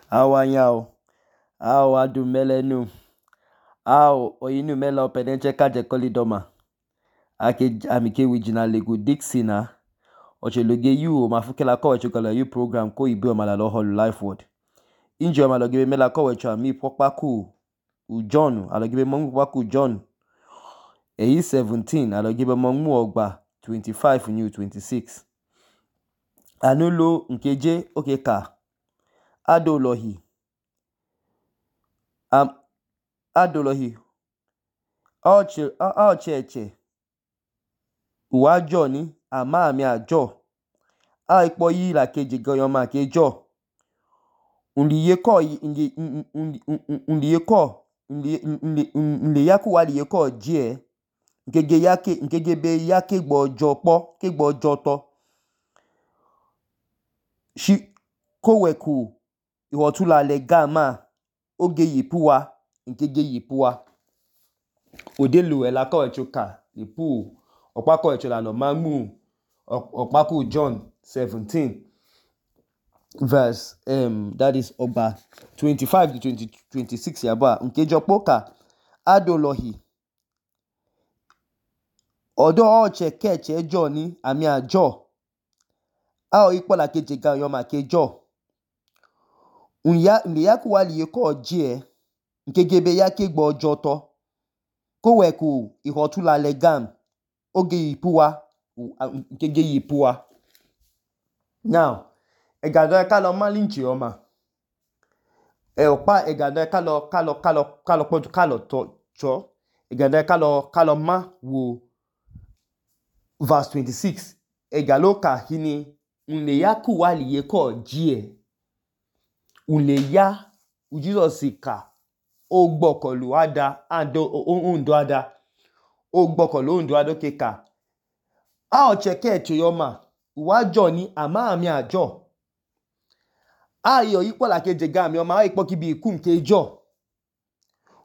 Awanyao, ao adumelenu, ao oyinu mela opedenche kaje kolidoma. Amike wijina lego Dixina. Ocheloge yu mafukela kowecho kala yu program ko ibe omalalo holu life word. Inji omalogibe mela kowecho ami pokpaku u John, alogibe mongu pokpaku John. Eyi 17, alogibe mongu ogba 25 new 26. Anulo nkeje okeka. Adolohi. Adolohi. Ocheche. Uwajo ni ama ami ajo. Ipo yi la keje goyoma kejo. Nle yaku wali yeko jie. Nkege be yake gbojo po, ke gbojo to. Koweku ihotula legama oge yipuwa, nkege yipuwa. Odelu ela kowecho ka yipu. Okpa kowecho la no mangu. Okpaku John 17 verse that is ogba 25 to 26 yaba. Nkejo poka adolohi. Odo oche keche jo ni ami ajo. Ikpo la keje ga yoma kejo. Nle yaku wali yeko jie. Nkegebe yake gbojo to. Koweku ihotula legam oge yipuwa. Nkege yipuwa. Now, egado kalo malinchi yoma. Okpa egado kalo cho. Egado kalo ma wo verse 26. Egalo ka hini nle yaku wali yeko jie. Nle ya Jesus ka ogbokolu ada ondo ada. Ogbokolu ondo ada keka. Ocheke cheyoma. Uwajo ni ama ami ajo. Ayo ikpo la keje ga ami oma. Ikpo kibi iku nkejo.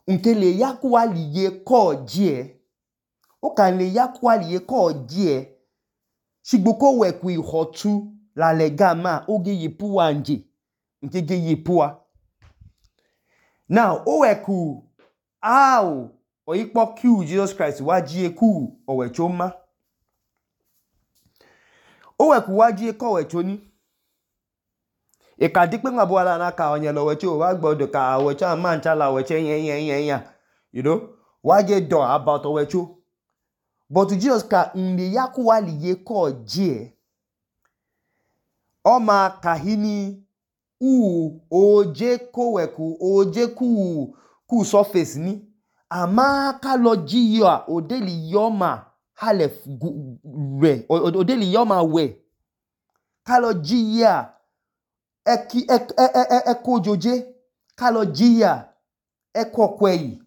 Nkele yaku wali yeko jie. Oka nle yaku wali yeko jie. Shigbuko weku ihotu la legama oge yipuwa nje. Nkege yipuwa. Now, oweku ikpo ku Jesus Christ wajie ku owechoma. Oweku wajie ko owechoni. Eka dikpe ngabo wala naka onyelo owecho wagbodo ka owecho amancha la owecho yen. You know, wajie do about owecho. But Jesus ka nle yaku wali yeko jie. Oma kahini oje koweku oje ku surface ni. Ama kalo jiya odeli yoma halef we. Odeli yoma we. Kalo jiya eko joje. Kalo jiya eko kweyi.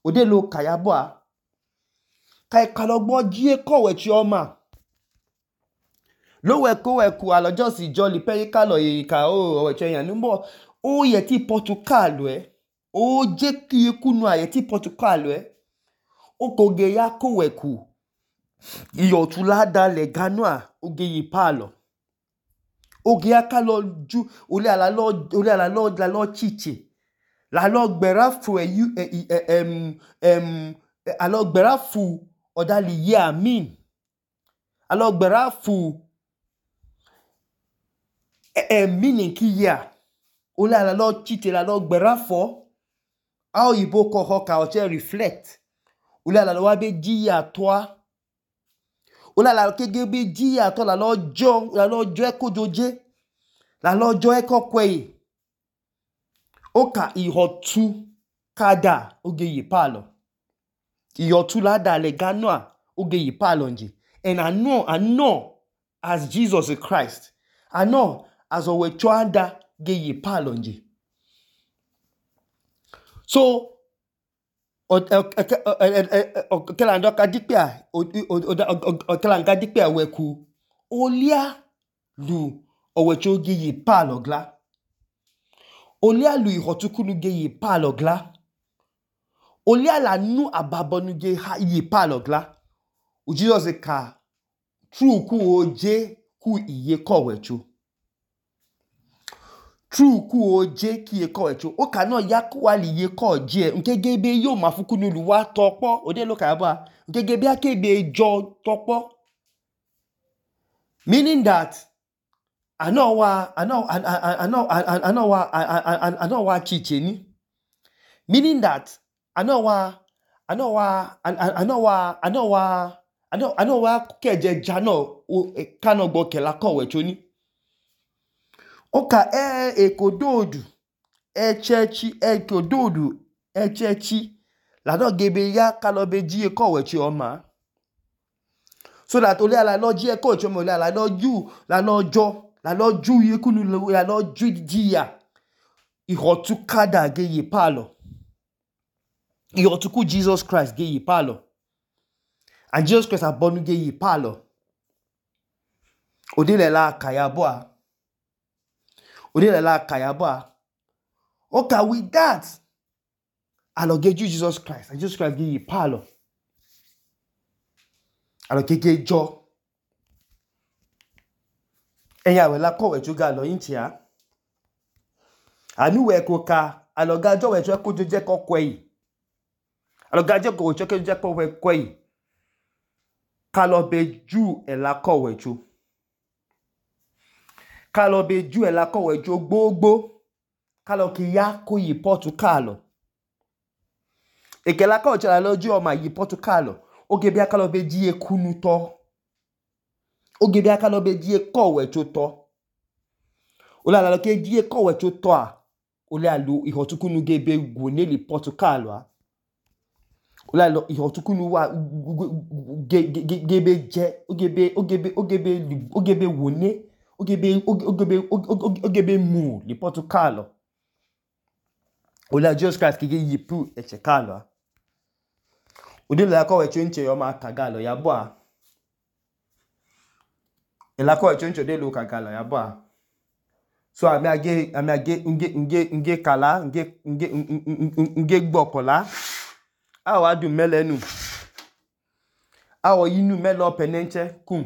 Odelo kayabwa. Kalo gbo jie kowechi oma. Lo weku alo just jolly peri kalo ka owecho yan numbo. O yeti Portugal o je ki ekunu ayeti Portugal okoge ya koweku iyotulada leganwa oge yipalo. Oge ya kalo ju ole ala lo chiche. La lo gberafu alo gberafu odali ye amin. Alo gberafu meaning ki ya. Ole ala lo chiche la lo gberafu. Ao ibo ko hoka oche reflect. Ole ala lo wabe jiya toa. Ole ala kegebe jiya toa la lo jo eko joje. La lo jo eko kweye. Oka ihotu kada oge yipalo. Ihotu lada leganwa oge yipalo nje. And I know as Jesus Christ. I know as owecho ada ge yipalo nje. So, okelanga dikpea weku. Olia lu owecho ge yipalo gla. Olia lu ihotukunu ge yipalo gla. Olia la nu ababonu ge yipalo gla. Jesus ka true ku oje ku iye kowecho. true ku oje ki ye ko echo o ka no ya ku wa li ye ko je nkegebe yo ma fuku nu luwa topo ode lo ka ba nkegebe akebe jo topo meaning that I know wa chicheni meaning that I know wa keje jano kano gbo kela ko wecho ni oka ekododu echechi la no gebe ya kalobe ji ko wechi oma so that ole ala no ji ko wechi oma ole ala no ju la no ju ye kunu la no ju ji ya ihotu kada ge ye palo ihotu ku Jesus Christ ge ye palo and Jesus Christ abonu ge ye palo odile la kayabo okay with that alo ge Jesus Christ and Jesus Christ ge ye palo alo keke jo eya we la ko wecho ga lo intia anu we ko ka alo ga jo wecho ko je ko kwei alo ga je ko wecho ke je ko we kwei kalo be ju e la ko wecho gbogbo kalo ki ya ko yi Portugal ekela ko chala loju o ma yi Portugal oge bia kalo be ji ekunu to oge bia kalo be ji ko wecho to ola la ke ji ko wecho to a ole alu ihotukunu gebe goneli Portugal wa ola lo ihotukunu wa gebe je ogebe wone ogebe mu li Portugal ola Jesus Christ ki yi pu echekalo odi la ko wecho nche yo ma kagalo ya boa ela ko wecho nche de lo kagalo ya boa so ami age nge kala nge gbokola awa du melenu awo yinu melo penenche kum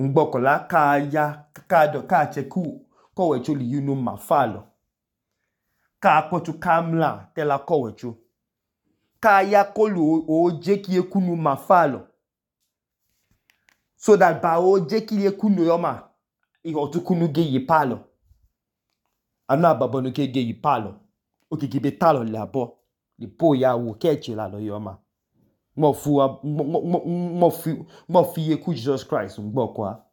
ngbokola ka ya ka cheku ko wecho li yinu mafalo ka potu kamla tela ko wecho ka ya kolu oje ki ekunu mafalo so that ba oje ki ekunu yoma ihotukunu ge yi palo ana babonu ke ge yi palo okiki be talo labo li po ya wo keche la lo yoma mo fi ye ku Jesus Christ ngbo kwa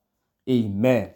amen.